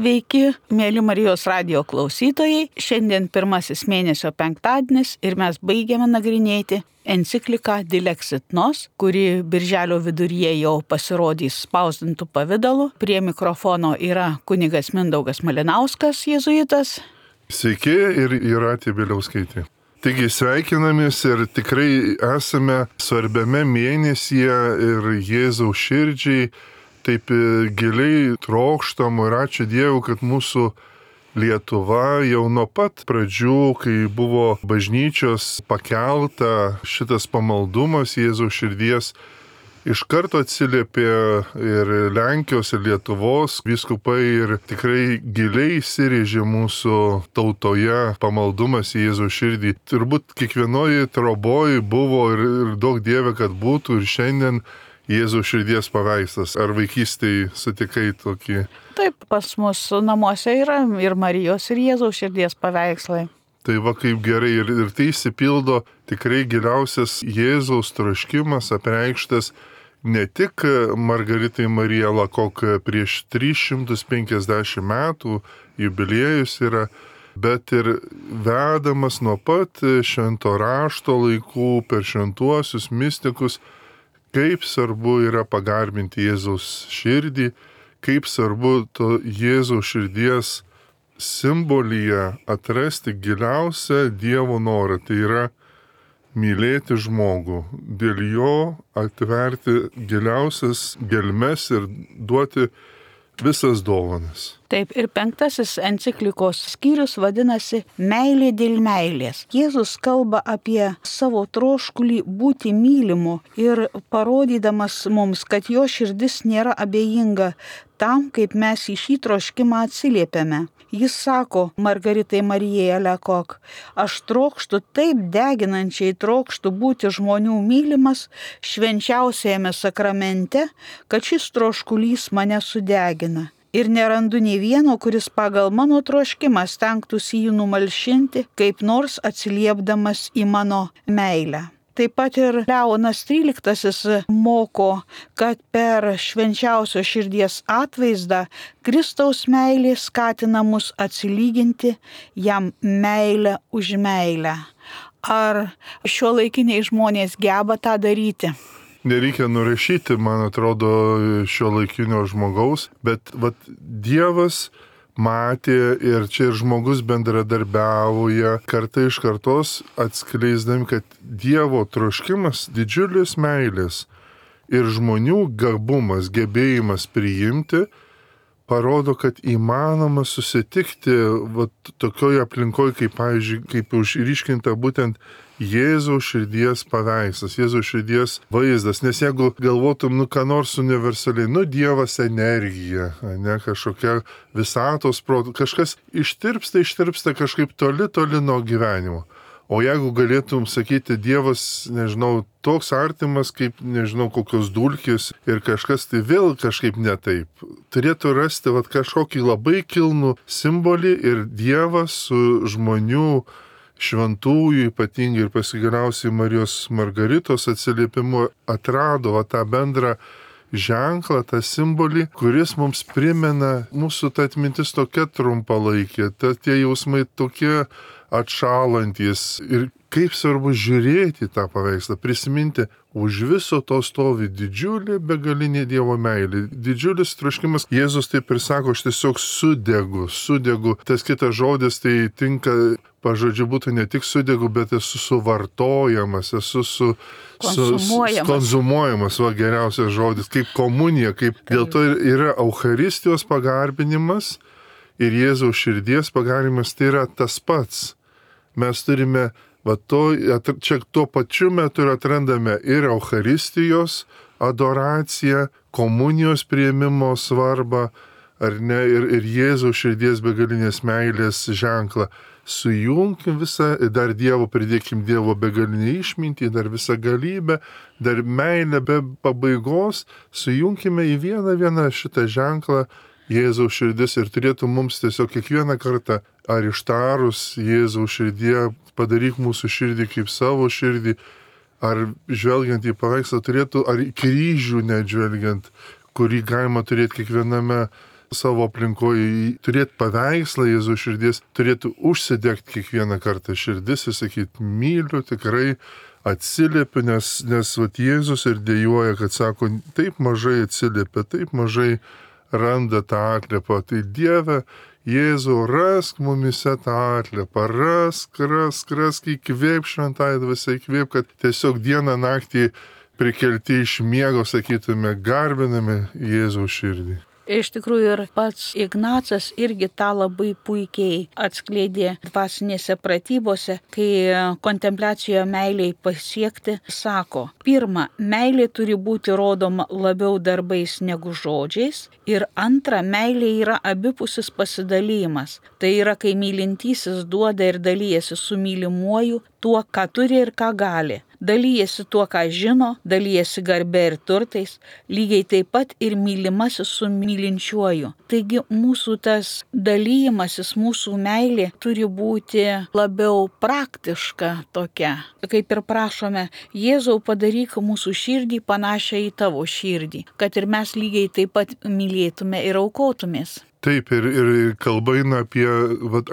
Sveiki, mėly Marijos radijo klausytojai. Šiandien pirmasis mėnesio penktadienis ir mes baigiame nagrinėti encikliką Dilexit Nos, kuri birželio viduryje jau pasirodys spausdintų pavidalu. Prie mikrofono yra kunigas Mindaugas Malinauskas, jėzuitas. Sveiki ir Jūratė Bieliauskaitė. Taigi sveikinamės ir tikrai esame svarbiame mėnesyje ir Jėzaus širdžiai taip giliai trokštamo ir ačiū Dievui, kad mūsų Lietuva jau nuo pat pradžių, kai buvo bažnyčios pakelta šitas pamaldumas Jėzaus širdies, iš karto atsiliepė ir Lenkijos, ir Lietuvos vyskupai ir tikrai giliai įsirėžė mūsų tautoje pamaldumas į Jėzaus širdį. Turbūt kiekvienoje troboje buvo ir daug Dieve, kad būtų ir šiandien Jėzaus širdies paveikslas. Ar vaikystėje sutikai tokį? Taip, pas mus namuose yra ir Marijos, ir Jėzaus širdies paveikslai. Tai va kaip gerai ir tai įsipildo tikrai giliausias Jėzaus troškimas apreikštas ne tik Margaritai Marija Lakok prieš 350 metų jubiliejus yra, bet ir vedamas nuo pat švento rašto laikų per šventuosius mistikus, kaip svarbu yra pagarbinti Jėzaus širdį, kaip svarbu to Jėzaus širdies simbolyje atrasti giliausią Dievo norą, tai yra mylėti žmogų, dėl jo atverti giliausias gelmes ir duoti visas dovanas. Taip, ir penktasis enciklikos skyrius vadinasi Meilė dėl meilės. Jėzus kalba apie savo troškulį būti mylimu ir parodydamas mums, kad jo širdis nėra abejinga tam, kaip mes į šį troškimą atsiliepiame. Jis sako Margaritai Marijai Lakok, aš trokštu taip deginančiai trokštu būti žmonių mylimas švenčiausiajame sakramente, kad šis troškulys mane sudegina. Ir nerandu nei vieno, kuris pagal mano troškimą stengtųsi jį numalšinti, kaip nors atsiliepdamas į mano meilę. Taip pat ir Leonas XIII moko, kad per švenčiausio širdies atvaizdą Kristaus meilė skatina mus atsilyginti jam meilę už meilę. Ar šiuolaikiniai žmonės geba tą daryti? Nereikia nurašyti, man atrodo, šiuolaikinio žmogaus, bet Dievas matė ir čia ir žmogus bendradarbiauja kartą iš kartos atskleisdami, kad Dievo troškimas didžiulis meilės ir žmonių gabumas, gebėjimas priimti parodo, kad įmanoma susitikti tokioje aplinkoje, kaip, pavyzdžiui, kaip užryškinta būtent Jėzaus širdies paveikslas, Jėzaus širdies vaizdas. Nes jeigu galvotum, ką nors universaliai, Dievas energija, ne kažkokia visatos proto, kažkas ištirpsta kažkaip toli nuo gyvenimo. O jeigu galėtum sakyti, Dievas, nežinau, toks artimas kaip, nežinau, kokios dulkės ir kažkas, tai vėl kažkaip ne taip. Turėtų rasti kažkokį labai kilnų simbolį ir Dievas su žmonių šventųjų, ypatingai ir pasigaliausiai Marijos Margaritos atsiliepimu atrado tą bendrą ženklą, tą simbolį, kuris mums primena mūsų ta atmintis tokia trumpalaikė, tie jausmai tokie atšalantys ir kaip svarbu žiūrėti tą paveikslą, prisiminti, už viso to stovi didžiulė begalinė Dievo meilė, didžiulis troškimas. Jėzus taip ir sako, aš tiesiog sudegu. Tas kitas žodis tai tinka, pažodžiu būtų ne tik sudegu, bet esu suvartojamas, esu konzumuojamas, geriausias žodis, kaip komunija, kaip dėl to yra Eucharistijos pagarbinimas ir Jėzaus širdies pagarbinimas, tai yra tas pats. Mes turime čia tuo pačiu metu ir atrandame ir Eucharistijos adoraciją, komunijos priėmimo svarbą, ar ne, ir Jėzaus širdies begalinės meilės ženklą. Sujunkim visą, dar Dievo pridėkim Dievo begalinę išmintį, dar visą galybę, dar meilę be pabaigos, sujunkime į vieną šitą ženklą Jėzaus širdis ir turėtų mums tiesiog kiekvieną kartą, ar ištarus Jėzaus širdie, padaryk mūsų širdį kaip savo širdį, ar žvelgiant į paveikslą turėtų, ar į kryžių net žvelgiant, kurį galima turėti kiekviename savo aplinkoje, turėti paveikslą Jėzaus širdies, turėtų užsidegti kiekvieną kartą širdis ir sakyti, myliu, tikrai atsiliepiu, nes vat, Jėzus ir dėjuoja, kad sako, taip mažai atsiliepia, taip mažai randa tą atliepą. Tai Dieve, Jėzau, rask mumise tą atliepą, rask, įkvėp šventai dvasiai, įkvėp, kad tiesiog dieną naktį prikelti iš miego, sakytume, garbiname Jėzaus širdį. Iš tikrųjų ir pats Ignacas irgi tą labai puikiai atskleidė dvasinėse pratybose, kai kontempliacijoje meiliai pasiekti, sako, pirma, meilė turi būti rodoma labiau darbais negu žodžiais ir antra, meilė yra abipusis pasidalymas. Tai yra, kai mylintysis duoda ir dalyjasi su mylimuoju tuo, ką turi ir ką gali. Dalyjasi tuo, ką žino, dalyjasi garbė ir turtais, lygiai taip pat ir mylimasis su mylinčiuoju. Taigi mūsų tas dalyjimasis, mūsų meilė turi būti labiau praktiška tokia. Kaip ir prašome, Jėzau, padaryk mūsų širdį panašią į tavo širdį, kad ir mes lygiai taip pat mylėtume ir aukotumės. Taip, ir kalba eina apie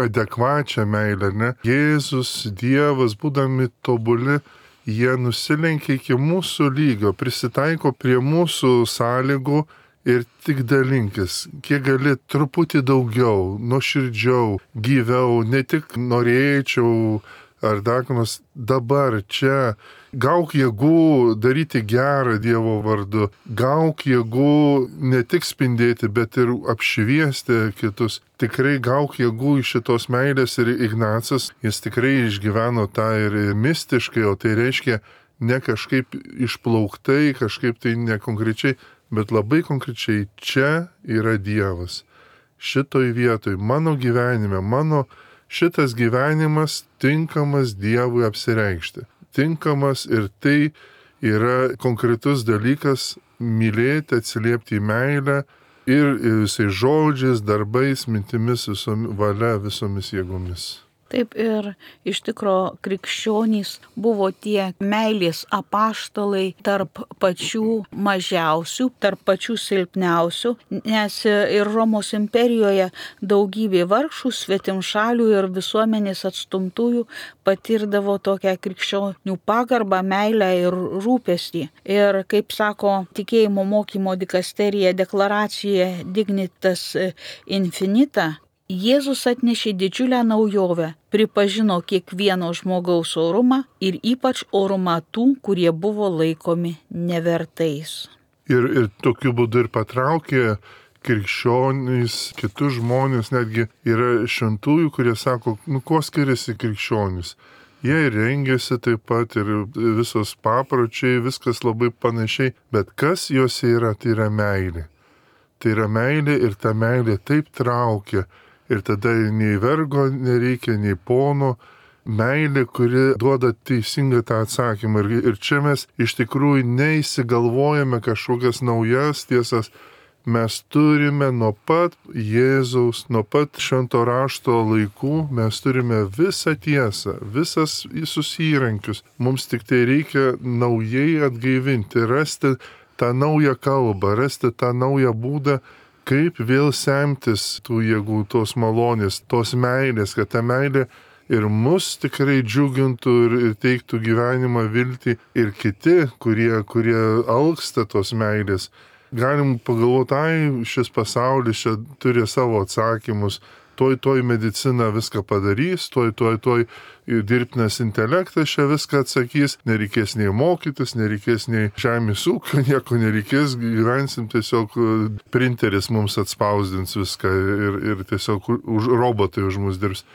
adekvačią meilę, ne? Jėzus, Dievas, būdami tobuli, jie nusilenkia iki mūsų lygio, prisitaiko prie mūsų sąlygų ir tik dalinkis, kiek gali truputį daugiau, nuoširdžiau, gyviau, ne tik norėčiau ar dakonos dabar čia. Gauk jėgų daryti gerą Dievo vardu, gauk jėgų ne tik spindėti, bet ir apšviesti kitus. Tikrai gauk jėgų iš šitos meilės ir Ignacas, jis tikrai išgyveno tą ir mistiškai, o tai reiškia ne kažkaip išplauktai, kažkaip tai nekonkrečiai, bet labai konkrečiai čia yra Dievas. Šitoj vietoj, mano gyvenime, mano šitas gyvenimas tinkamas Dievui apsireikšti. Tinkamas ir tai yra konkretus dalykas mylėti, atsiliepti į meilę ir visais žodžiais, darbais, mintimis, valia, visomis jėgomis. Taip ir iš tikro krikščionys buvo tie meilės apaštalai tarp pačių mažiausių, tarp pačių silpniausių, nes ir Romos imperijoje daugybė vargšų, svetimšalių ir visuomenės atstumtųjų patirdavo tokią krikščionių pagarbą, meilę ir rūpestį. Ir kaip sako tikėjimo mokymo dikasterija deklaracijoje Dignitas Infinita, Jėzus atnešė didžiulę naujovę, pripažino kiekvieno žmogaus orumą ir ypač orumą tų, kurie buvo laikomi nevertais. Ir tokiu būdu ir patraukė krikščionys, kitus žmonės, netgi yra šventųjų, kurie sako, kuo skiriasi krikščionys. Jie rengiasi taip pat ir visos papročiai, viskas labai panašiai, bet kas juose yra, tai yra meilė. Tai yra meilė ir ta meilė taip traukia. Ir tada nei vergo nereikia, nei pono, meilė, kuri duoda teisingą tą atsakymą. Ir čia mes iš tikrųjų neįsigalvojame kažkokias naujas tiesas. Mes turime nuo pat Jėzaus, nuo pat švento rašto laikų, mes turime visą tiesą, visas visus įrankius. Mums tik tai reikia naujai atgaivinti, rasti tą naują kalbą, rasti tą naują būdą, kaip vėl semtis tų jėgų, tos malonės, tos meilės, kad ta meilė ir mus tikrai džiugintų ir teiktų gyvenimą, viltį ir kiti, kurie alksta tos meilės. Galim pagalvoti, šis pasaulis čia turi savo atsakymus, toj medicina viską padarys, toj dirbtinas intelektas čia viską atsakys, nereikės nei mokytis, nereikės nei žemės ūkio, nieko nereikės, gyvensim tiesiog printeris mums atspausdins viską ir tiesiog robotai už mus dirbs.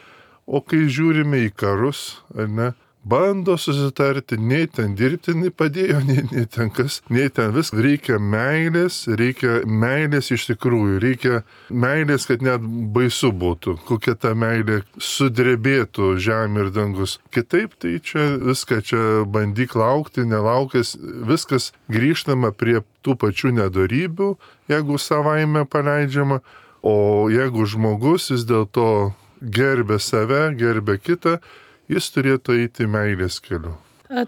O kai žiūrime į karus, ar ne, bando susitarti, nei ten dirbtinai padėjo, nei ten kas, nei ten vis. Reikia meilės iš tikrųjų, reikia meilės, kad net baisu būtų, kokia ta meilė sudrebėtų žemė ir dangus. Kitaip tai čia viską čia bandyk laukti, nelaukęs, viskas grįžtama prie tų pačių nedorybių, jeigu savaime paleidžiama, o jeigu žmogus vis dėlto gerbė save, gerbė kitą, jis turėtų eiti meilės keliu.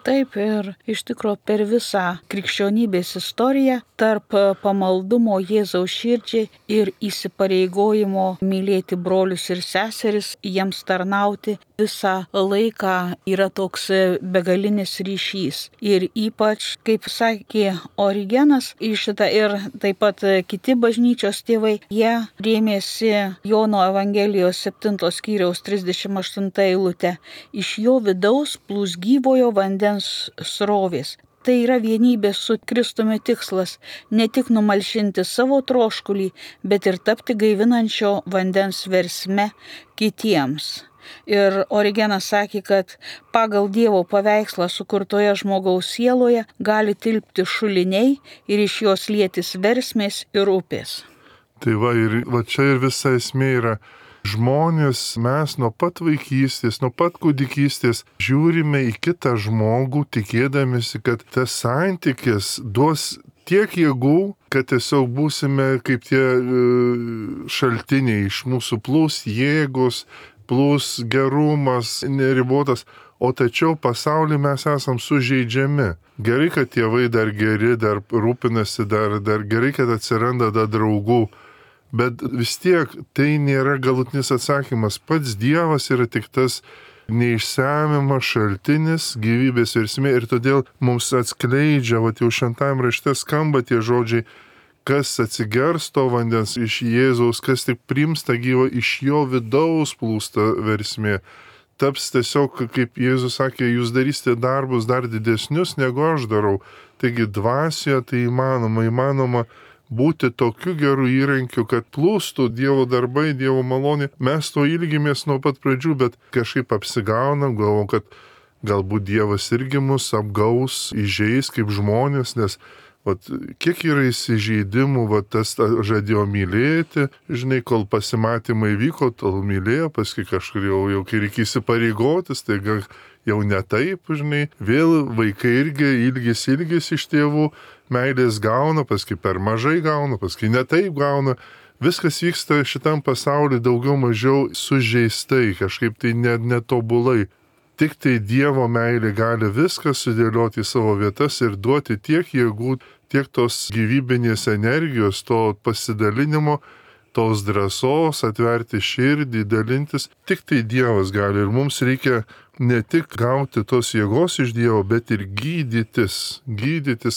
Taip, ir iš tikrųjų per visą krikščionybės istoriją tarp pamaldumo Jėzaus širdžiai ir įsipareigojimo mylėti brolius ir seseris, jiems tarnauti visą laiką yra toks begalinis ryšys. Ir ypač, kaip sakė Origenas, į šitą ir taip pat kiti bažnyčios tėvai, jie rėmėsi Jono Evangelijos 7 skyriaus 38 eilutę. Iš jo vidaus plūs gyvojo vandens srovės. Tai yra vienybės su Kristumi tikslas, ne tik numalšinti savo troškulį, bet ir tapti gaivinančio vandens versme kitiems. Ir Origenas sakė, kad pagal Dievo paveikslą sukurtoje žmogaus sieloje gali tilpti šuliniai ir iš jos lietis versmės ir upės. Tai va čia ir visa esmė yra. Žmonės, mes nuo pat vaikystės, nuo pat kūdikystės žiūrime į kitą žmogų, tikėdamėsi, kad tas santykis duos tiek jėgų, kad tiesiog būsime kaip tie šaltiniai, iš mūsų plūs jėgos, plūs gerumas neribotas, o tačiau pasaulyje mes esam sužeidžiami. Gerai, kad tėvai dar geri, dar rūpinasi, dar gerai, kad atsiranda dar draugų. Bet vis tiek tai nėra galutinis atsakymas. Pats Dievas yra tik tas neišsemiamas šaltinis gyvybės versmė ir todėl mums atskleidžia, jau šventajame rašte skamba tie žodžiai, kas atsigers to vandens iš Jėzaus, kas tik priims tą gyvą, iš jo vidaus plūsta versmė. Taps tiesiog, kaip Jėzus sakė, jūs darysite darbus dar didesnius, negu aš darau. Taigi dvasioje tai įmanoma būti tokiu geru įrankiu, kad plūstų Dievo darbai, Dievo malonė. Mes to ilgimės nuo pat pradžių, bet kažkaip apsigaunam, galvom, kad galbūt Dievas irgi mus apgaus, įžeis kaip žmonės, nes kiek yra įsižeidimų, tas žadėjo mylėti, žinai, kol pasimatymai vyko, tol mylėjo, paskui kažkur jau kai reikia įsipareigotis, tai jau ne taip, žinai, vėl vaikai irgi ilgis iš tėvų, meilės gauna, paskui per mažai gauna, paskui ne taip gauna. Viskas vyksta šitam pasauliu daugiau mažiau sužeistai, kažkaip tai netobulai. Tik tai Dievo meilė gali viską sudėlioti į savo vietas ir duoti tiek jėgų, tiek tos gyvybinės energijos, to pasidalinimo, tos drąsos, atverti širdį, dalintis. Tik tai Dievas gali ir mums reikia ne tik gauti tos jėgos iš Dievo, bet ir gydytis,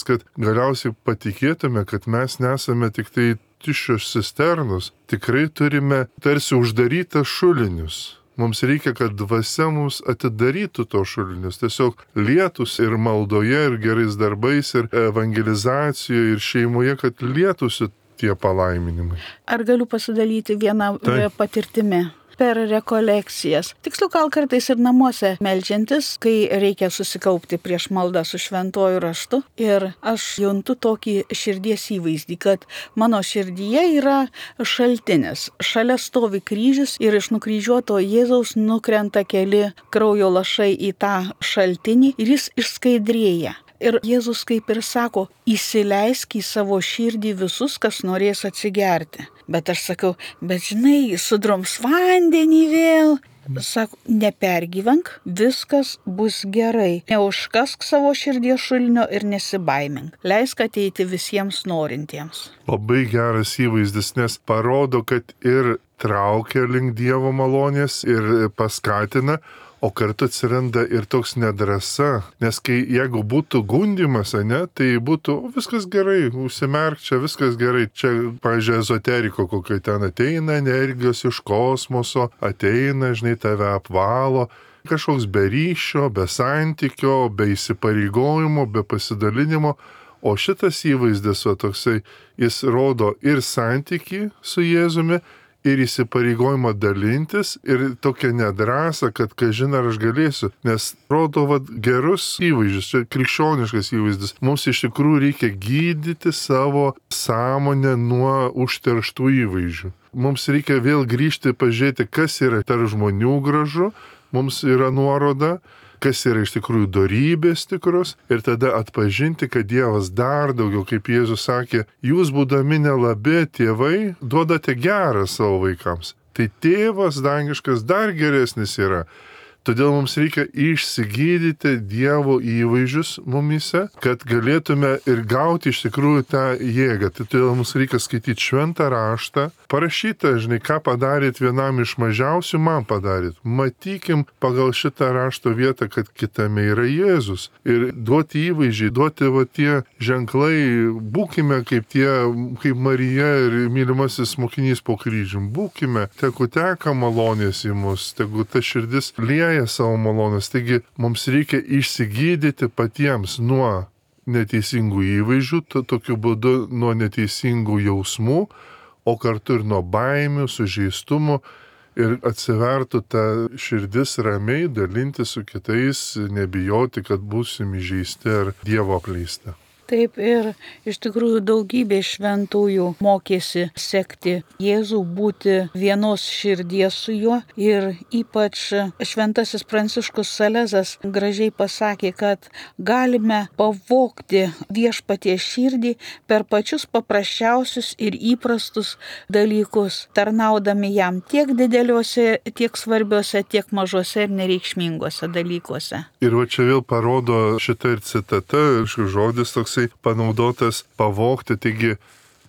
kad galiausiai patikėtume, kad mes nesame tik tai tuščios cisternos. Tikrai turime tarsi uždarytas šulinius. Mums reikia, kad dvasia mums atidarytų to šulinius, tiesiog lietus ir maldoje, ir gerais darbais, ir evangelizacijoje, ir šeimoje, kad lietusi tie palaiminimai. Ar galiu pasidalyti vieną patirtimi? Per rekolekcijas. Tiksliau, gal kartais ir namuose meldžiantis, kai reikia susikaupti prieš maldą su šventuoju raštu. Ir aš juntu tokį širdies įvaizdį, kad mano širdyje yra šaltinis. Šalia stovi kryžius ir iš nukryžiuoto Jėzaus nukrenta keli kraujo lašai į tą šaltinį ir jis išskaidrėja. Ir Jėzus kaip ir sako, įsileisk į savo širdį visus, kas norės atsigerti. Bet aš sakau, bet žinai, sudroms vandenį vėl. Sako, nepergyvenk, viskas bus gerai. Neužkask savo širdies šulinio ir nesibaimink. Leisk ateiti visiems norintiems. Labai geras įvaizdis, nes parodo, kad ir traukia link Dievo malonės ir paskatina, o kartu atsiranda ir toks nedrąsa, nes jeigu būtų gundymas, tai būtų viskas gerai, užsimerk čia, viskas gerai. Čia, pavyzdžiui, ezoteriko kokio ten ateina energijos iš kosmoso, ateina, žinai, tave apvalo, kažkoks be ryšio, be santykio, be įsipareigojimo, be pasidalinimo. O šitas įvaizdis, toksai, jis rodo ir santykį su Jėzumi, ir įsipareigojimą dalintis, ir tokia nedrąsa, kad kažin ar aš galėsiu, nes rodo gerus įvaizdžius, čia krikščioniškas įvaizdis. Mums iš tikrųjų reikia gydyti savo sąmonę nuo užterštų įvaizdžių. Mums reikia vėl grįžti, pažiūrėti, kas yra tarp žmonių gražu, mums yra nuoroda, kas yra iš tikrųjų dorybės tikros, ir tada atpažinti, kad Dievas dar daugiau, kaip Jėzus sakė, jūs būdami nelabi tėvai, duodate gerą savo vaikams. Tai tėvas dangiškas dar geresnis yra. Todėl mums reikia išsigydyti Dievo įvaizdžius mumyse, kad galėtume ir gauti iš tikrųjų tą jėgą. Tai todėl mums reikia skaityti šventą raštą, parašytą, žinai, ką padarėt vienam iš mažiausių, man padarėt. Matykim pagal šitą rašto vietą, kad kitame yra Jėzus. Ir duoti įvaizdžiai, duoti va tie ženklai, būkime kaip Marija ir mylimasis mokinys po kryžium. Būkime, tegu teka malonės į mus, tegu ta širdis lieja savo malonės. Taigi mums reikia išsigydyti patiems nuo neteisingų įvaizdžių, tokiu būdu nuo neteisingų jausmų, o kartu ir nuo baimių, sužeistumų ir atsivertų ta širdis ramiai dalinti su kitais, nebijoti, kad būsim įžeisti ar Dievo apleisti. Taip ir iš tikrųjų daugybė šventųjų mokėsi sekti Jėzų, būti vienos širdies su juo ir ypač šventasis Pranciškus Salezas gražiai pasakė, kad galime pavogti viešpaties širdį per pačius paprasčiausius ir įprastus dalykus, tarnaudami jam tiek dideliuose, tiek svarbiuose, tiek mažuose ir nereikšminguose dalykuose. Ir va čia vėl parodo šitą ir citata, ir žodis toksai panaudotas pavogti. Taigi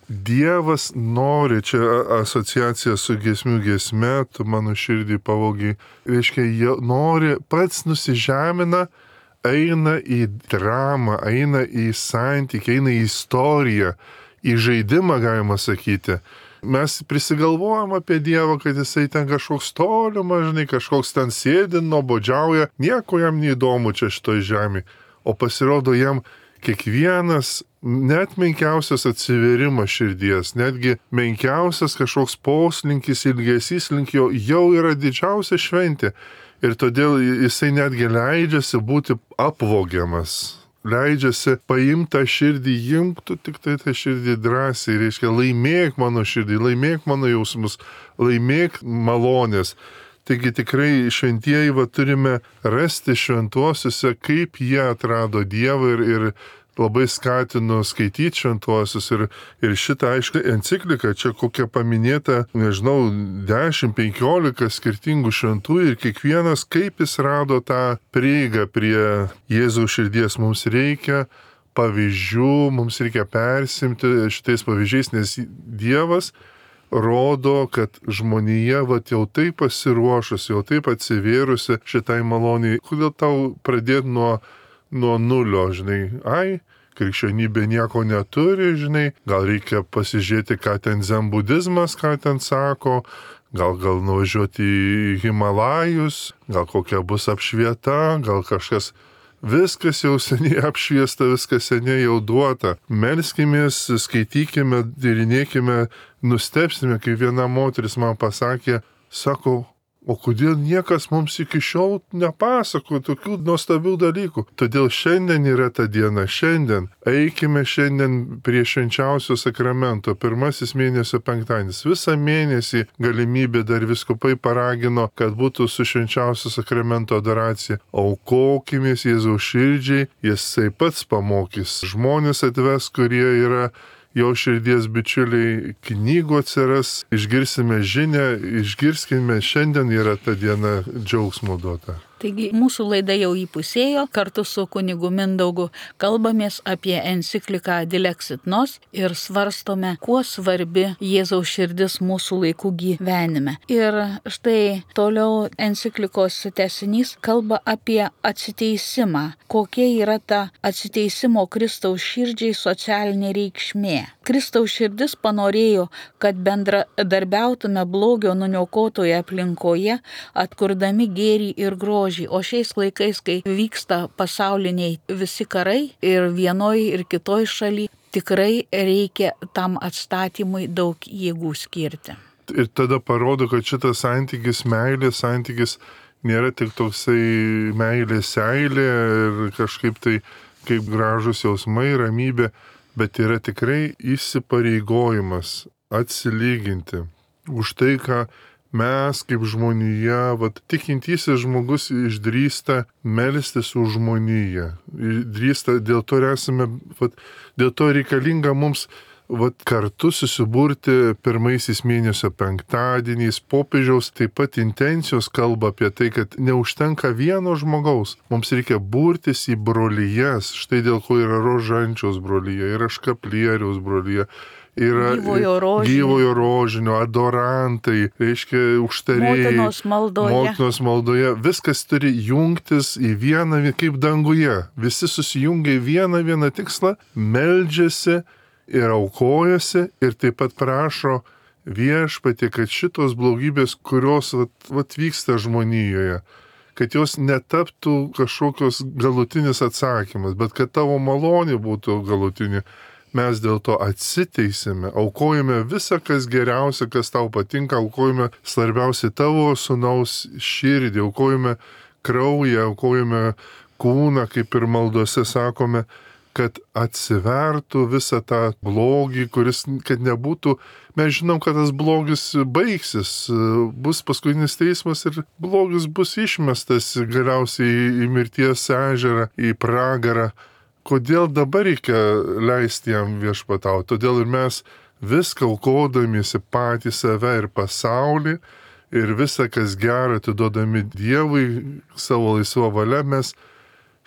Dievas nori, čia asociacija su giesmių giesme, tu mano širdį pavogi, reiškia, jie nori, pats nusižemina, eina į dramą, eina į santykį, eina į istoriją, į žaidimą galima sakyti. Mes prisigalvojam apie Dievą, kad jisai ten kažkoks tolimas, žinai, kažkoks ten sėdi, nuobodžiauja, nieko jam neįdomu čia šitoj žemėje, o pasirodo jam kiekvienas, net menkiausias atsiverimas širdies, netgi menkiausias kažkoks poslinkis, ilgesys link jo jau yra didžiausia šventė. Ir todėl jisai netgi leidžiasi būti apvogiamas. Leidžiasi paimtą širdį, imtų tik tai tą širdį drąsiai, reiškia, laimėk mano širdį, laimėk mano jausmus, laimėk malonės. Taigi tikrai šventieji turime rasti šventuosiuose, kaip jie atrado Dievą ir labai skatinu skaityti šventuosius ir šitą, aišku, encikliką, čia kokia paminėta, nežinau, 10-15 skirtingų šventųjų ir kiekvienas, kaip jis rado tą prieigą prie Jėzaus širdies. Mums reikia pavyzdžių, mums reikia persimti šitais pavyzdžiais, nes Dievas rodo, kad žmonija jau taip pasiruošusi, jau taip atsivėrusi šitai maloniai. Kodėl tau pradėti nuo nulio, žinai? Krikščionybė nieko neturi, žinai, gal reikia pasižiūrėti, ką ten zen budizmas, ką ten sako, gal nuvažiuoti į Himalajus, gal kokia bus apšvieta, gal kažkas. Viskas jau seniai apšviesta, viskas seniai jau duota. Melskimės, skaitykime, tyrinėkime, nustebsime, kai viena moteris man pasakė, sako, o kodėl niekas mums iki šiol nepasako tokių nuostabių dalykų? Todėl šiandien yra ta diena, šiandien. Eikime šiandien prie švenčiausio sakramento, pirmasis mėnesio penktadienis. Visą mėnesį galimybė dar vyskupai paragino, kad būtų su švenčiausio sakramento adoracija. Aukokimės Jėzaus širdžiai, jisai pats pamokys. Žmonės atves, kurie yra jo širdies bičiuliai, knygų atsiras, išgirsime žinią, išgirskime, šiandien yra ta diena džiaugsmo duota. Taigi mūsų laida jau įpusėjo, kartu su kunigu Mindaugu kalbamės apie encikliką Dilexit Nos ir svarstome, kuo svarbi Jėzaus širdis mūsų laikų gyvenime. Ir štai toliau enciklikos tęsinys kalba apie atsiteisimą, kokia yra ta atsiteisimo Kristaus širdžiai socialinė reikšmė. Kristaus širdis panorėjo, kad bendradarbiautume blogio nuniokotoje aplinkoje, atkurdami gėrį ir grožį. O šiais laikais, kai vyksta pasauliniai visi karai ir vienoj ir kitoj šaly, tikrai reikia tam atstatymui daug jėgų skirti. Ir tada parodo, kad šitas santykis, meilės santykis nėra tik toksai meilės seilė ir kažkaip tai kaip gražus jausmai, ramybė, bet yra tikrai įsipareigojimas atsilyginti už tai, ką mes kaip žmonija, tikintysis žmogus išdrįsta melstis už žmoniją. Išdrįsta, dėl to esame, dėl to reikalinga mums kartu susiburti pirmaisiais mėnesio penktadieniais. Popiežiaus taip pat intencijos kalba apie tai, kad neužtenka vieno žmogaus. Mums reikia burtis į brolyjas. Štai dėl ko yra Rožančiaus brolyje, yra Škaplieriaus brolyje. Yra gyvojo rožinio, adorantai, reiškia užtarėjai, motinos maldoje. Viskas turi jungtis į vieną, kaip danguje. Visi susijungia į vieną tikslą, meldžiasi ir aukojasi ir taip pat prašo Viešpatie, kad šitos blogybės, kurios vyksta žmonijoje, kad jos netaptų kažkokios galutinis atsakymas, bet kad tavo malonė būtų galutinė. Mes dėl to atsiteisime, aukojame visą, kas geriausia, kas tau patinka, aukojame svarbiausiai tavo sūnaus širdį, aukojame kraują, aukojame kūną, kaip ir maldose sakome, kad atsivertų visą tą blogį, kuris, kad nebūtų, mes žinom, kad tas blogis baigsis, bus paskutinis teismas ir blogis bus išmestas galiausiai į mirties ežerą, į pragarą. Kodėl dabar reikia leisti jam viešpatauti? Todėl ir mes viską aukodamiesi patį save ir pasaulį ir visą, kas gera, atiduodami Dievui savo laisvą valią, mes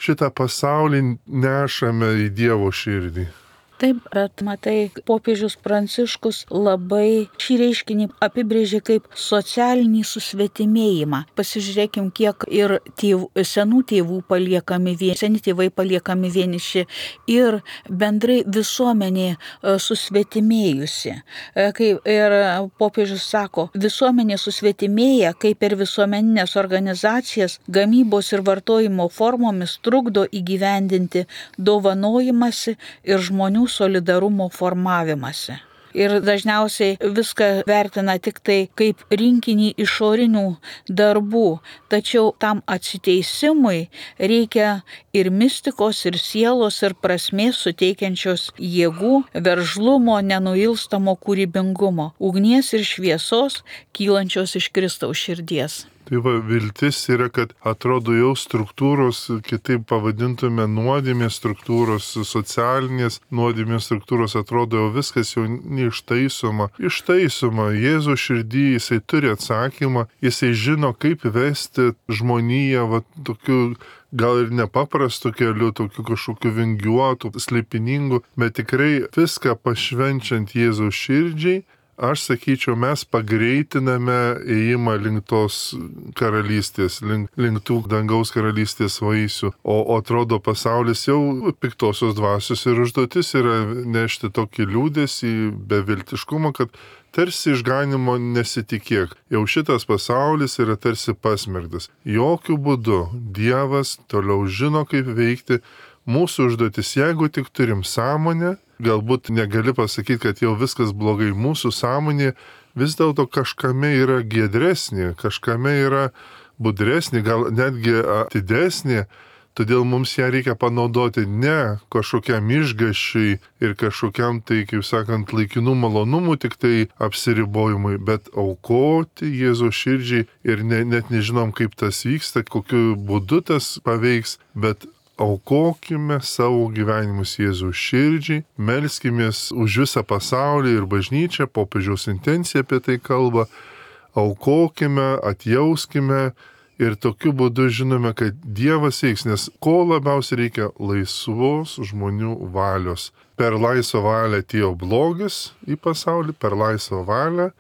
šitą pasaulį nešame į Dievo širdį. Taip, bet matai, popiežius Pranciškus labai šį reiškinį apibrėžė kaip socialinį susvetimėjimą. Pasižiūrėkim, kiek ir senų tėvų seni tėvai paliekami vieniši ir bendrai visuomenė susvetimėjusi. Kaip ir popiežius sako, visuomenė susvetimėja, kaip per visuomeninės organizacijas gamybos ir vartojimo formomis trukdo įgyvendinti dovanojimąsi ir žmonių solidarumo formavimąsi. Ir dažniausiai viską vertina tik tai kaip rinkinį išorinių darbų, tačiau tam atsiteisimui reikia ir mistikos, ir sielos, ir prasmės suteikiančios jėgų, veržlumo, nenuilstamo kūrybingumo, ugnies ir šviesos, kylančios iš Kristaus širdies. Tai viltis yra, kad atrodo jau struktūros, kitaip pavadintume nuodėmės struktūros, socialinės nuodėmės struktūros, atrodo jau viskas jau neištaisoma. Ištaisoma, Jėzaus širdį, jisai turi atsakymą, jisai žino, kaip vesti žmoniją, tokiu gal ir nepaprastu keliu, tokiu kažkokiu vingiuotu, slėpiningu, bet tikrai viską pašvenčiant Jėzaus širdžiai. Aš sakyčiau, mes pagreitiname ėjimą link tos karalystės, link tų dangaus karalystės vaisių. O atrodo, pasaulis jau piktosios dvasios ir užduotis yra nešti tokį liūdesį, beviltiškumą, kad tarsi išganimo nesitikėk. Jau šitas pasaulis yra tarsi pasmerktas. Jokių būdų Dievas toliau žino, kaip veikti. Mūsų užduotis, jeigu tik turim sąmonę, galbūt negali pasakyti, kad jau viskas blogai, mūsų sąmonė vis dėlto kažkame yra giedresnė, kažkame yra budresnė, gal netgi atidesnė, todėl mums ją reikia panaudoti ne kažkokiam išgąsčiui ir kažkokiam tai, kaip sakant, laikinų malonumų tik tai apsiribojimui, bet aukoti Jėzaus širdžiai ir net nežinom, kaip tas vyksta, kokiu būdu tas paveiks, bet aukokime savo gyvenimus Jėzaus širdžiai, melskimės už visą pasaulį ir bažnyčią, popiežiaus intencija apie tai kalba, aukokime, atjauskime ir tokiu būdu žinome, kad Dievas veiks, nes ko labiausiai reikia laisvos žmonių valios. Per laisvą valią atėjo blogis į pasaulį, per laisvą valią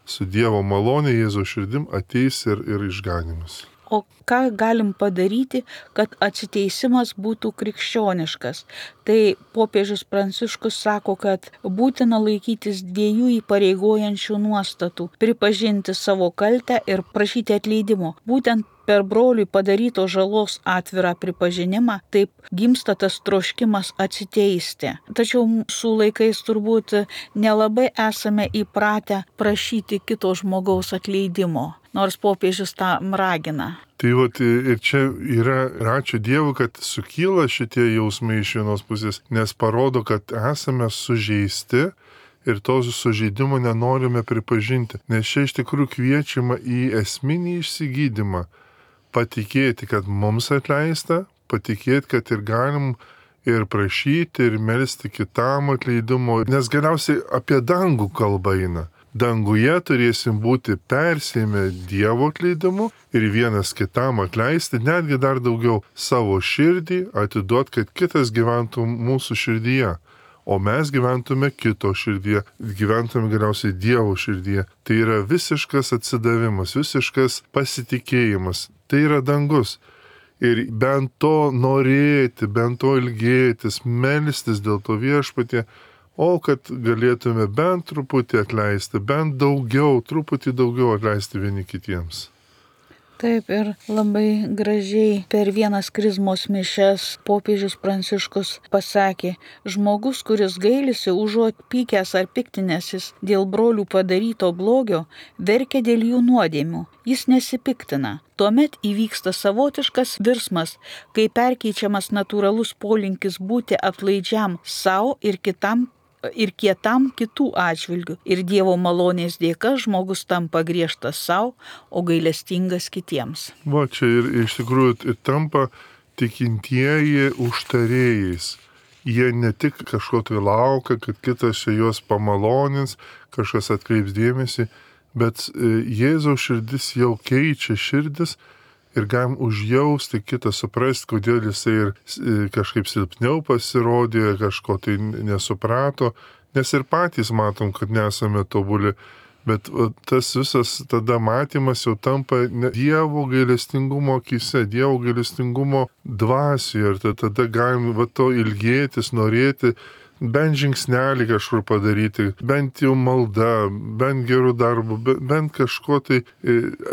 su Dievo malonė Jėzaus širdim ateis ir išganimas. O ką galim padaryti, kad atsiteisimas būtų krikščioniškas? Tai popiežius Pranciškus sako, kad būtina laikytis dviejų įpareigojančių nuostatų - pripažinti savo kaltę ir prašyti atleidimo. Būtent per broliui padarytos žalos atvirą pripažinimą, taip gimsta tas troškimas atsiteisti. Tačiau mūsų laikais turbūt nelabai esame įpratę prašyti kito žmogaus atleidimo, nors popiežius tą ragina. Tai ir čia yra, ačiū Dievui, kad sukyla šitie jausmai iš vienos pusės, nes parodo, kad esame sužeisti ir to sužeidimo nenorime pripažinti. Nes čia iš tikrųjų kviečiama į esminį išsigydymą. Patikėti, kad mums atleista, patikėti, kad ir galim ir prašyti, ir melsti kitam atleidimo, nes galiausiai apie dangų kalba eina. Danguje turėsim būti persėmę Dievo atleidimu ir vienas kitam atleisti, netgi dar daugiau savo širdį atiduot, kad kitas gyventų mūsų širdyje, o mes gyventume kito širdyje, gyventume galiausiai Dievo širdyje. Tai yra visiškas atsidavimas, visiškas pasitikėjimas, tai yra dangus. Ir bent to norėti, bent to ilgėtis, melstis dėl to Viešpatie, o kad galėtume bent truputį atleisti, bent daugiau, truputį daugiau atleisti vieni kitiems. Taip, ir labai gražiai per vienas krizmos mišias popiežius Pranciškus pasakė, žmogus, kuris gailisi užuot pykęs ar piktinęsis dėl brolių padaryto blogio, verkia dėl jų nuodėmių, jis nesipiktina. Tuomet įvyksta savotiškas virsmas, kai perkeičiamas natūralus polinkis būti atlaidžiam savo ir kietam kitų atžvilgių. Ir Dievo malonės dėka žmogus tampa griežtas savo, o gailestingas kitiems. Va, čia ir iš tikrųjų ir tampa tikintieji užtarėjais. Jie ne tik kažko tai laukia, kad kitas čia juos pamalonins, kažkas atkreips dėmesį, bet Jėzaus širdis jau keičia širdis ir galim užjausti kitą, suprasti, kodėl jisai ir kažkaip silpniau pasirodė, kažko tai nesuprato, nes ir patys matom, kad nesame tobuli, bet tas visas tada matymas jau tampa Dievo gailestingumo akyse, Dievo gailestingumo dvasioje ir tada galim to ilgėtis, norėti, bent žingsnelį kažkur padaryti, bent jau malda, bent gerų darbų, bent kažko tai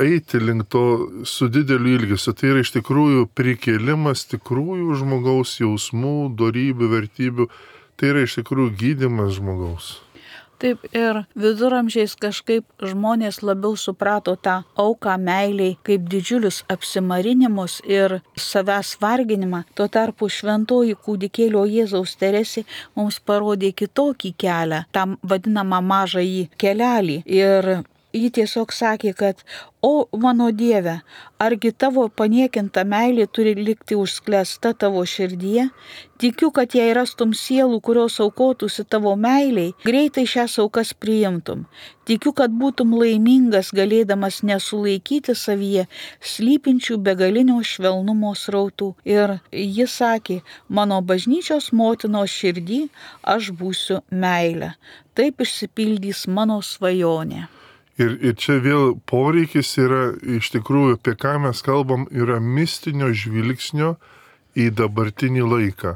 eiti link to su dideliu ilgesiu. Tai yra iš tikrųjų prikėlimas tikrųjų žmogaus jausmų, dorybių, vertybių. Tai yra iš tikrųjų gydymas žmogaus. Taip, ir viduramžiais kažkaip žmonės labiau suprato tą auką meiliai kaip didžiulius apsimarinimus ir savęs varginimą. Tuo tarpu šventoji kūdikėlio Jėzaus Teresė mums parodė kitokį kelią, tam vadinamą mažąjį kelelį. Ir ji tiesiog sakė, kad o mano Dieve, argi tavo paniekinta meilė turi likti užsklęsta tavo širdyje? Tikiu, kad jei rastum sielų, kurios aukotųsi tavo meiliai, greitai šias aukas priimtum. Tikiu, kad būtum laimingas, galėdamas nesulaikyti savyje slypinčių begalinio švelnumo srautų. Ir jis sakė, mano bažnyčios motinos širdį aš būsiu meilė. Taip išsipildys mano svajonė. Ir čia vėl poreikis yra, iš tikrųjų, apie ką mes kalbam, yra mistinio žvilgsnio į dabartinį laiką.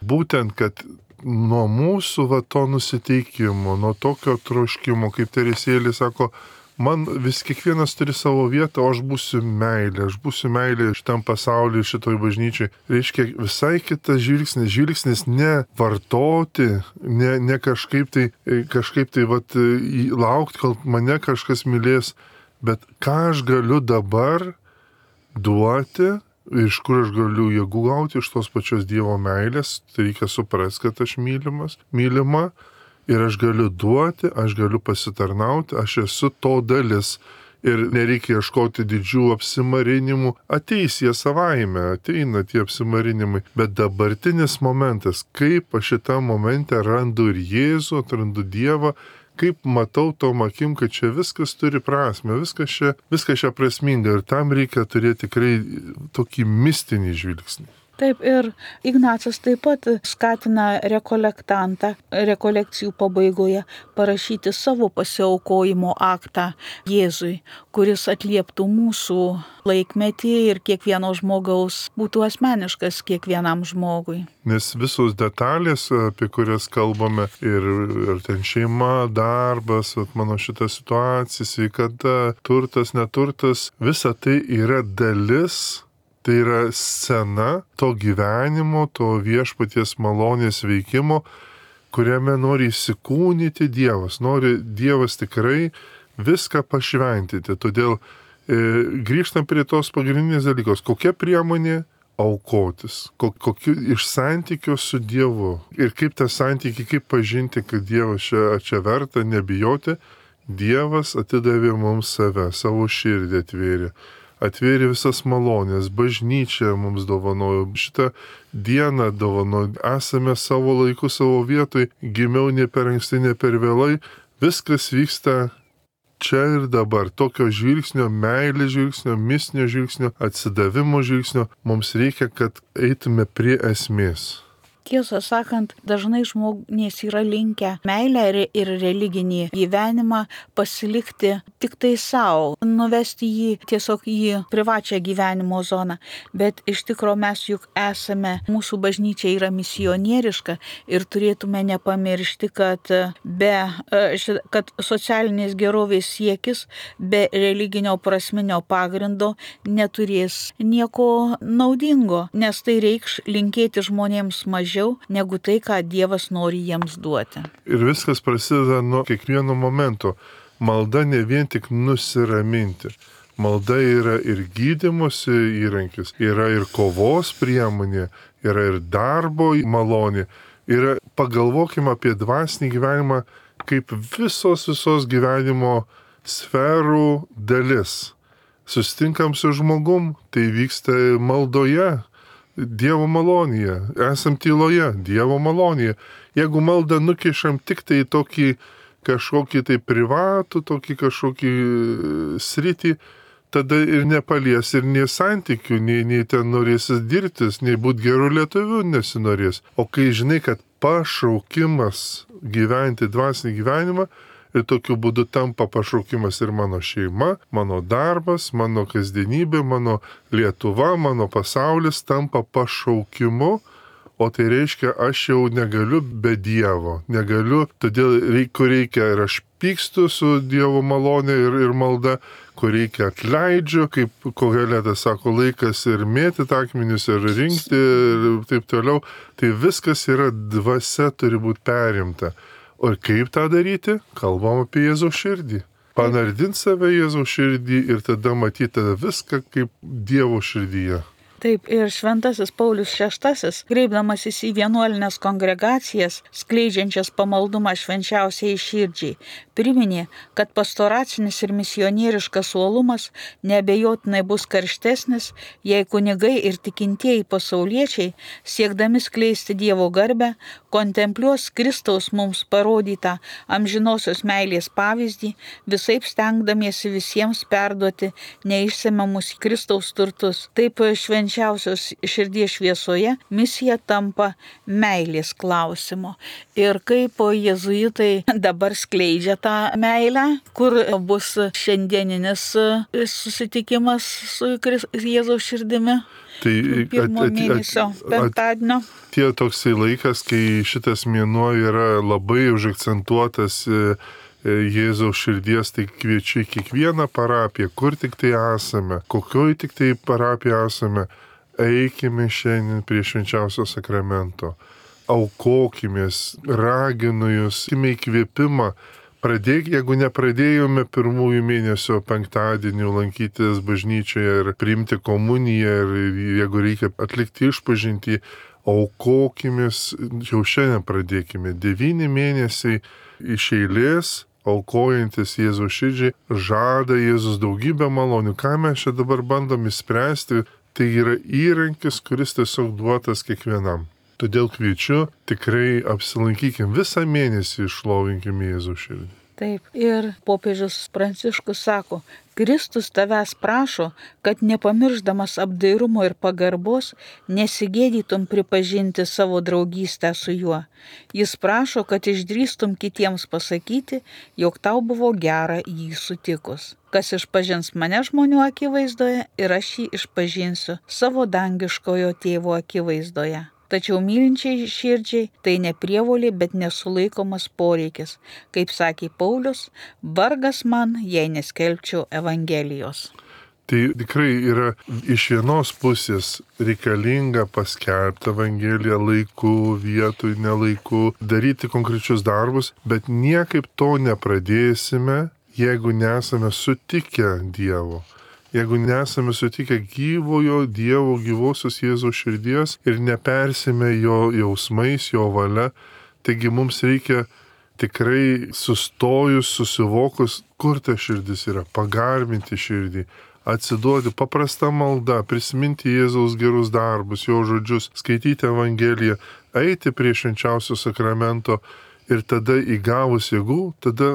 Būtent, kad nuo mūsų to nusiteikimo, nuo tokio troškimo, kaip Teresėlė sako, man vis kiekvienas turi savo vietą, o aš būsiu meilė šitam pasauliu, šitoj bažnyčiai. Reiškia visai kitas žvilgsnis ne vartoti, ne kažkaip tai laukti, kol mane kažkas mylės, bet ką aš galiu dabar duoti, iš kur aš galiu jėgų gauti iš tos pačios Dievo meilės, tai reikia suprasti, kad aš mylima. Ir aš galiu duoti, aš galiu pasitarnauti, aš esu to dalis. Ir nereikia ieškoti didžių apsimarinimų. Ateis jie savaime, ateina tie apsimarinimai. Bet dabartinis momentas, kaip aš šitą momentą randu ir Jėzų, atrandu Dievą, kaip matau tom akim, kad čia viskas turi prasme, viskas čia prasminga. Ir tam reikia turėti tikrai tokį mistinį žvilgsnį. Taip, ir Ignacas taip pat skatina rekolektantą rekolekcijų pabaigoje parašyti savo pasiaukojimo aktą Jėzui, kuris atlieptų mūsų laikmetį ir kiekvieno žmogaus, būtų asmeniškas kiekvienam žmogui. Nes visos detalės, apie kurias kalbame, ir ten šeima, darbas, mano šita situacija, sveikata, turtas, neturtas, visa tai yra dalis. Tai yra scena to gyvenimo, to Viešpaties malonės veikimo, kuriame nori įsikūnyti Dievas. Nori Dievas tikrai viską pašventyti. Todėl grįžtam prie tos pagrindinės dalykos. Kokia priemonė aukotis? Kokiu iš santykio su Dievu? Ir kaip tą santykį, kaip pažinti, kad Dievas čia verta, nebijoti? Dievas atidavė mums save, savo širdį atvėrė. atvėrė visas malonės, bažnyčia mums dovanojo, šitą dieną dovanojo, esame savo laiku, savo vietoj, gimiau ne per anksti, ne per vėlai, viskas vyksta čia ir dabar. Tokio žvilgsnio, meilės žvilgsnio, mistinio žvilgsnio, atsidavimo žvilgsnio mums reikia, kad eitume prie esmės. Tiesą sakant, dažnai žmonės yra linkę meilę ir religinį gyvenimą pasilikti tik tai savo, nuvesti jį tiesiog į privačią gyvenimo zoną. Bet iš tikrųjų mes juk esame, mūsų bažnyčia yra misionieriška ir turėtume nepamiršti, kad kad socialinės gerovės siekis be religinio prasminio pagrindo neturės nieko naudingo, nes tai reikš linkėti žmonėms mažiau negu tai, ką Dievas nori jiems duoti. Ir viskas prasideda nuo kiekvieno momento. Malda ne vien tik nusiraminti. Malda yra ir gydymosi įrankis, yra ir kovos priemonė, yra ir darbo malonė. Pagalvokime apie dvasinį gyvenimą kaip visos gyvenimo sferų dalis. Sustinkam su žmogum, tai vyksta maldoje. Dievo malonėje, esam tyloje, Dievo malonėje. Jeigu maldą nukišam tik tai tokį kažkokį tai privatų, tokį kažkokį sritį, tada ir nepalies ir nei santykių, nei ten norėsis dirbtis, nei būti gerų lietuvių nesinorės. O kai žinai, kad pašaukimas gyventi dvasinį gyvenimą, ir tokiu būdu tampa pašaukimas ir mano šeima, mano darbas, mano kasdienybė, mano Lietuva, mano pasaulis tampa pašaukimu, o tai reiškia, aš jau negaliu be Dievo, negaliu, todėl reikia ir aš pykstu su Dievo malonė ir malda, kur reikia atleidžiu, kaip Koheletas sako, laikas ir mėtyti akmenis ir rinkti ir taip toliau, tai viskas yra dvasia turi būti perimta. O kaip tą daryti? Kalbam apie Jėzaus širdį. Panardint save Jėzaus širdį ir tada matyti viską kaip Dievo širdyje. Taip, ir šventasis Paulius VI, kreipdamasis į vienuolinės kongregacijas, skleidžiančias pamaldumą švenčiausiai širdžiai, priminė, kad pastoracinis ir misionieriškas uolumas neabejotinai bus karštesnis, jei kunigai ir tikintieji pasauliečiai, siekdami skleisti Dievo garbę, kontempliuos Kristaus mums parodytą amžinosios meilės pavyzdį, visaip stengdamiesi visiems perduoti neišsemiamus Kristaus turtus. Taip švenčiausios širdies šviesoje misija tampa meilės klausimo. Ir kaip jėzuitai dabar skleidžia tą meilę, kur bus šiandieninis susitikimas su Jėzaus širdimi. Tai pirmo mėnesio penktadienio. Tie toksai laikas, kai šitas mėnuo yra labai užakcentuotas Jėzaus širdies, tai kviečiu į kiekvieną parapiją, kur tik tai esame, kokioj tik tai parapiją esame, eikime šiandien prie švenčiausio sakramento, aukokimės, raginu jūs, įkvėpimą. Pradėk, jeigu nepradėjome pirmųjų mėnesio penktadienių lankytis bažnyčioje ir priimti komuniją ir jeigu reikia atlikti išpažintį, aukokimės, jau šiandien pradėkime. 9 mėnesiai iš eilės, aukojantis Jėzaus širdžiai, žada Jėzus daugybę malonių. Ką mes čia dabar bandom įspręsti, tai yra įrankis, kuris tiesiog duotas kiekvienam. Todėl kviečiu, tikrai apsilankykim visą mėnesį, išlovinkim Jėzaus širdį. Taip, ir popiežius Pranciškus sako, Kristus tavęs prašo, kad nepamirždamas apdairumo ir pagarbos, nesigėdytum pripažinti savo draugystę su juo. Jis prašo, kad išdrįstum kitiems pasakyti, jog tau buvo gera jį sutikus. Kas išpažins mane žmonių akivaizdoje ir aš jį išpažinsiu savo dangiškojo tėvo akivaizdoje. Tačiau mylinčiai širdžiai tai ne prievolė, bet nesulaikomas poreikis. Kaip sakė Paulius, vargas man, jei neskelbčiau Evangelijos. Tai tikrai yra iš vienos pusės reikalinga paskelbti Evangeliją laiku, vietoj, nelaiku, daryti konkrečius darbus, bet niekaip to nepradėsime, jeigu nesame sutikę Dievo. Jeigu nesame sutikę gyvojo Dievo, gyvosios Jėzaus širdies ir nepersime jo jausmais, jo valia, taigi mums reikia tikrai sustojus, susivokus, kur ta širdis yra, pagarbinti širdį, atsiduoti paprasta malda, prisiminti Jėzaus gerus darbus, jo žodžius, skaityti Evangeliją, eiti prie švenčiausio sakramento ir tada įgavus jėgų, tada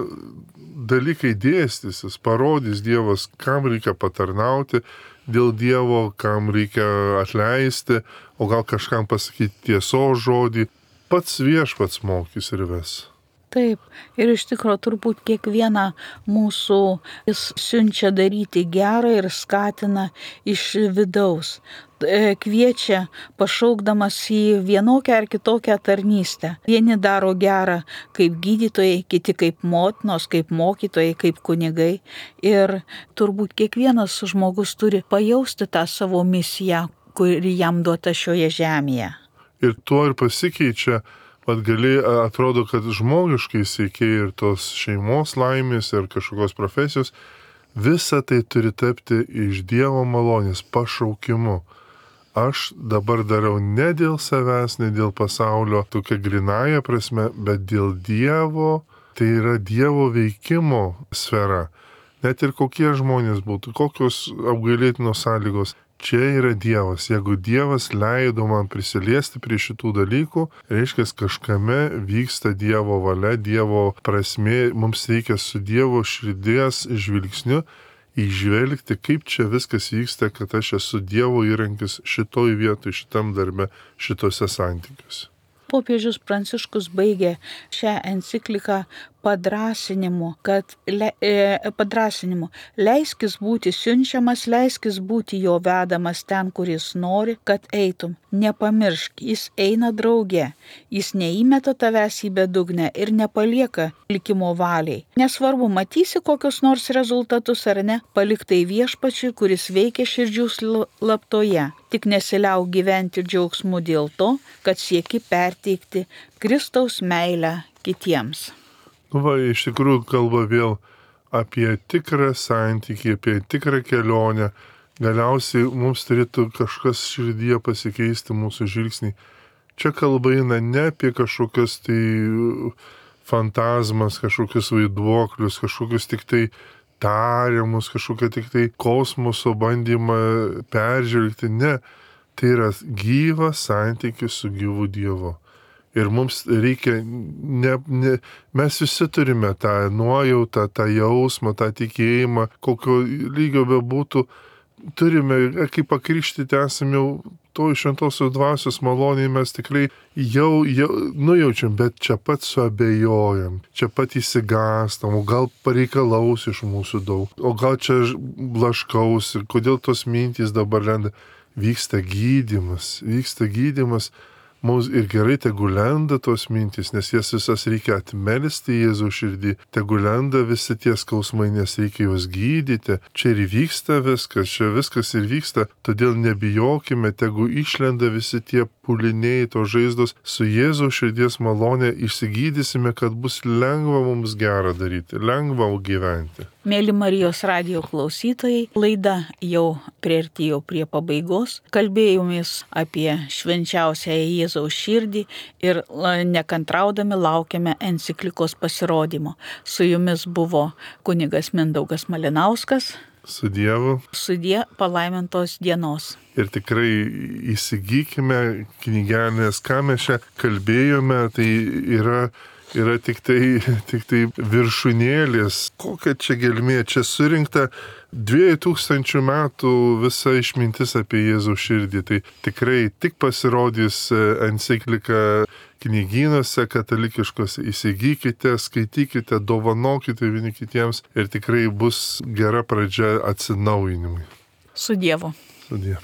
dalykai dėstysis, parodys Dievas, kam reikia patarnauti dėl Dievo, kam reikia atleisti, o gal kažkam pasakyti tiesos žodį. Pats Viešpats mokys ir ves. Taip, ir iš tikrųjų turbūt kiekvieną mūsų jis siunčia daryti gerą ir skatina iš vidaus. Kviečia pašaukdamas į vienokią ar kitokią tarnystę. Vieni daro gerą kaip gydytojai, kiti kaip motinos, kaip mokytojai, kaip kunigai. Ir turbūt kiekvienas žmogus turi pajausti tą savo misiją, kuri jam duota šioje žemėje. Ir tuo ir pasikeičia. Vat gali, atrodo, kad žmogiškai siekiai ir tos šeimos laimės ir kažkokios profesijos, visa tai turi tapti iš Dievo malonės pašaukimu. Aš dabar darau ne dėl savęs, ne dėl pasaulio, tokia grinaja prasme, bet dėl Dievo, tai yra Dievo veikimo sfera. Net ir kokie žmonės būtų, kokios apgailėtinos sąlygos. Čia yra Dievas. Jeigu Dievas leido man prisiliesti prie šitų dalykų, reiškia, kažkame vyksta Dievo valia, Dievo prasmė, mums reikia su Dievo širdies žvilgsniu įžvelgti, kaip čia viskas vyksta, kad aš esu Dievo įrankis šitoj vietoj, šitam darbe, šitose santykiuose. Popiežius Pranciškus baigė šią encikliką padrasinimu, leiskis būti siunčiamas, leiskis būti jo vedamas ten, kur jis nori, kad eitum. Nepamiršk, jis eina drauge, jis neįmeta tavęs į bedugnę ir nepalieka likimo valiai. Nesvarbu, matysi kokius nors rezultatus ar ne, palik tai Viešpačiui, kuris veikia širdžių slaptoje. Tik nesiliauk gyventi džiaugsmu dėl to, kad sieki perteikti Kristaus meilę kitiems. Iš tikrųjų kalba vėl apie tikrą santykį, apie tikrą kelionę. Galiausiai mums turėtų kažkas širdyje pasikeisti mūsų žvilgsnį. Čia kalba eina ne apie kažkokias tai fantazmas, kažkokius vaiduoklius, kažkokius tik tai tariamus, kažkokią tik tai kosmoso bandymą peržvelgti. Ne, tai yra gyvas santykis su gyvu Dievu. Ir mums reikia, mes visi turime tą nuojautą, tą jausmą, tą tikėjimą, kokio lygio bebūtų, turime, kaip pakrikštyti esame jau to šventosios dvasios maloniai, mes tikrai jau nujaučiam, bet čia pat suabejojam, čia pat įsigastam, o gal pareikalaus iš mūsų daug, o gal čia blaškausi, kodėl tos mintys dabar lenda. Vyksta gydymas. Mums ir gerai tegu lenda tos mintys, nes jas visas reikia atmelsti Jėzaus širdį. Tegu lenda visi tie skausmai, nes reikia juos gydyti. Čia ir vyksta viskas, čia viskas ir vyksta. Todėl nebijokime, tegu išlenda visi tie pūliniai, tos žaizdos. Su Jėzaus širdies malonė išsigydysime, kad bus lengva mums gerą daryti, lengva gyventi. Mėly Marijos radijo klausytojai, laida jau priartėjo prie pabaigos. Kalbėjomės apie švenčiausią Jėzaus širdį ir nekantraudami laukiame enciklikos pasirodymo. Su jumis buvo kunigas Mindaugas Malinauskas. Su Dievu. Sudie palaimintos dienos. Ir tikrai įsigykime knygelės, ką mes čia kalbėjome, tai yra tik tai viršūnėlės. Kokia čia gelmė? Čia surinkta 2000 metų visa išmintis apie Jėzaus širdį. Tai tikrai tik pasirodys enciklika knygynuose katalikiškose. Įsigykite, skaitykite, dovanokite vieni kitiems ir tikrai bus gera pradžia atsinaujinimui. Su Dievu. Su Dievu.